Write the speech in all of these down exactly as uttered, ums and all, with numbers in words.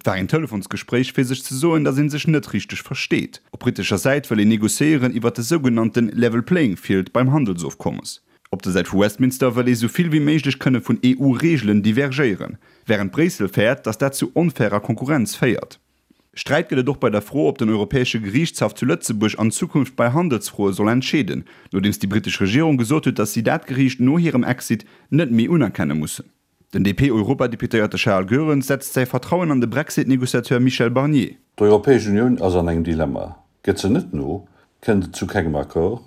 Et war een Telefonsgespréich fir sech ze soen, datt ee sech net richteg versteet. Op britescher Säit wëll een negociéieren iwwer de sougenannte Level Playing Field beim Handelsofkommes. Op der Säit vu Westminster wëll ee sou vill wéi méiglech kënne vun E U-Reegelen divergéieren. Wärend Bréissel fäert, datt dat zu onfairer Konkurrenz féiert. Sträit gëtt et och bei der Fro, ob den Europäesche Geriichtshaff zu Lëtzebuerg an Zukunft bei Handelsfroe soll entscheeden, nodeems déi britesch Regierung gesot huet, datt si dat Geriicht no hirem Exit net méi unerkenne mussen. Den D P-Europadeputéierte Charles Goerens setzt säi Vertrauen an de Brexit-Negociateur Michel Barnier. D'Europäesch Unioun ass an engem Dilemma. Gëtt se net no, kënnt et zu kengem Accord,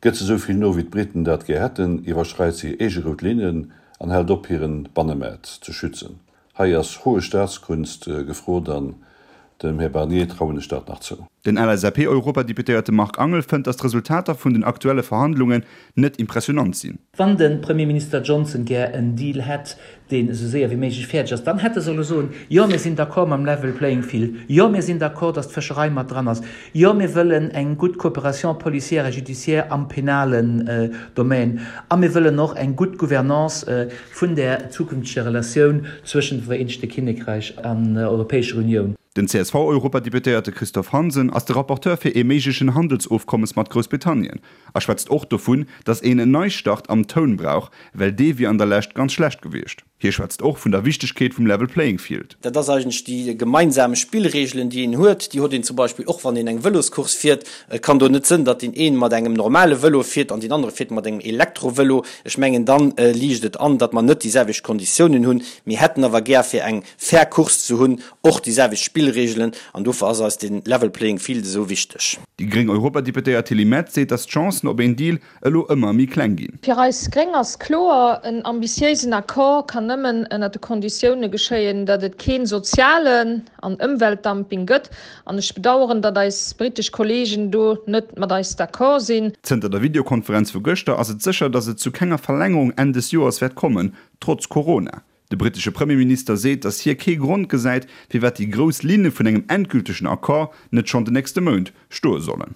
gëtt se sou vill no wéi d'Briten dat gär hätten, iwwerschreit se hir eege rout Linnen an hält op hire Bannemaart ze schützen. Hei ass hohe Staatskunst gefrot an dem Här Barnier trauen ech dat nach zou. Den L S A P-Europadeputéierte Marc Angel fënnt, datt d'Resultater vun den aktuelle Verhandlungen net impressionant sinn. Wann de Premierminister Johnson gär en Deal hätt, deen esou séier wéi méiglech fäerdeg ass, dann hätt e solle soen, Jo, mir sinn d'accord mam Level Playing Field. Jo, mir sinn d'accord, datt d'Fëscherei mat dran ass. Jo, mir wëllen eng gutt Coopération policière et judiciaire am penalen Domaine. A mir wëllen och eng gutt Gouvernance vun der zukünfteger Relatioun zwëschent dem Vereenegte Kinnekräich an der Europäescher Unioun. Den C S V-Europadeputéierte Christophe Hansen ass de Rapporteur fir ee méiglechen Handelsofkommes mat Groussbritannien a schwätzt och dovun, datt een en Neistart am Toun brauch, well dee wier an der Lescht ganz schlecht gewiescht. Hie schwätzt och vun der Wichtegkeet vum Level Playing Field. Dat ass eigentlech déi gemeinsam Spillreegelen, déi een huet. Déi huet een zum Beispill och, wann een eng Vëloscourse fiert. Et kann do net sënn, datt deen een mat engem normale Vëlo fiert an deen anere fiert mat engem Elektrovëlo. Ech mengen, dann liicht et an, datt mer net déi selwecht Konditiounen hunn. Mir hätten awer gär, fir eng fair Course ze hunn, och déi selwecht Spillreegelen an dofir ass eis de Level Playing Field esou wichteg. Déi gréng Europadeputéiert Tilly Metz seet, datt d'Chancen op een Deal elo ëmmer méi kleng ginn. Fir eis Gréng ass kloer, en ambitiéisen Accord kann nëmmen ënner de Konditioune geschéien, datt et kee sozialen an Ëmweltdumping gëtt. An ech bedaueren, datt eis britesch Kolleegen do net mat eis d'accord sinn. Zënter der Videokonferenz vu gëschter ass et sécher, datt et zu kenger Verlängerung Enn des Joers wäert kommen, trotz Corona. De britesche Premierminister seet, datt hie kee Grond gesäit, firwat déi grouss Linne vun engem endgültegen Accord net schonn den nächste Mount stoe sollen.